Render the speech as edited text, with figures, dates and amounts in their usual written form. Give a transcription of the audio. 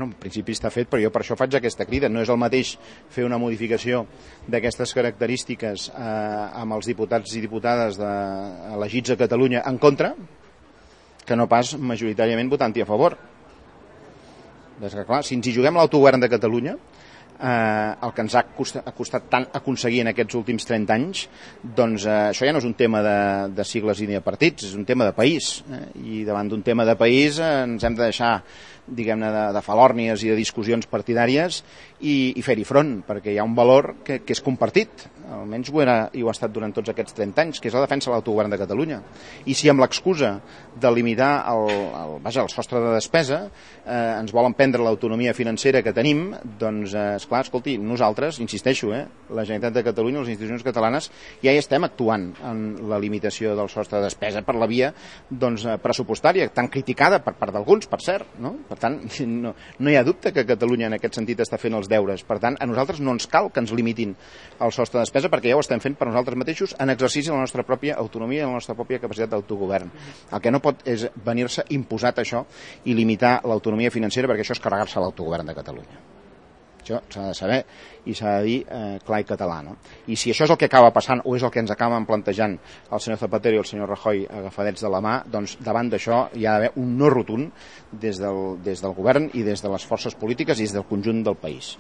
en principi està fet, però jo per això faig aquesta crida. No és el mateix fer una modificació d'aquestes característiques amb els diputats i diputades elegits a Catalunya en contra, que no pas majoritàriament votant-hi a favor. Des que, clar, si ens hi juguem l'autogovern de Catalunya, el que ens ha costat tant aconseguir en aquests últims 30 anys, doncs això ja no és un tema de sigles i de partits, és un tema de país, i davant d'un tema de país ens hem de deixar, diguem-ne, de falòrnies i de discussions partidàries i fer-hi front, perquè hi ha un valor que és compartit, almenys ho era i ho ha estat durant tots aquests 30 anys, que és la defensa de l'autogovern de Catalunya. I si amb l'excusa de limitar el sostre de despesa ens volen prendre l'autonomia financera que tenim, doncs, esclar, escolti, nosaltres, insisteixo, la Generalitat de Catalunya, les institucions catalanes, ja hi estem actuant en la limitació del sostre de despesa per la via pressupostària, tan criticada per part d'alguns, per cert, no? Per tant, no hi ha dubte que Catalunya en aquest sentit està fent els deures. Per tant, a nosaltres no ens cal que ens limitin el sostre de despesa, perquè ja ho estem fent per nosaltres mateixos en exercici de la nostra pròpia autonomia i la nostra pròpia capacitat d'autogovern. El que no pot és venir-se imposat això i limitar l'autonomia financera, perquè això és carregar-se l'autogovern de Catalunya. Això s'ha de saber i s'ha de dir clar i català, no? I si això és el que acaba passant o és el que ens acaben plantejant el senyor Zapatero i el senyor Rajoy agafadets de la mà, doncs davant d'això hi ha d'haver un no rotund des del govern i des de les forces polítiques i des del conjunt del país.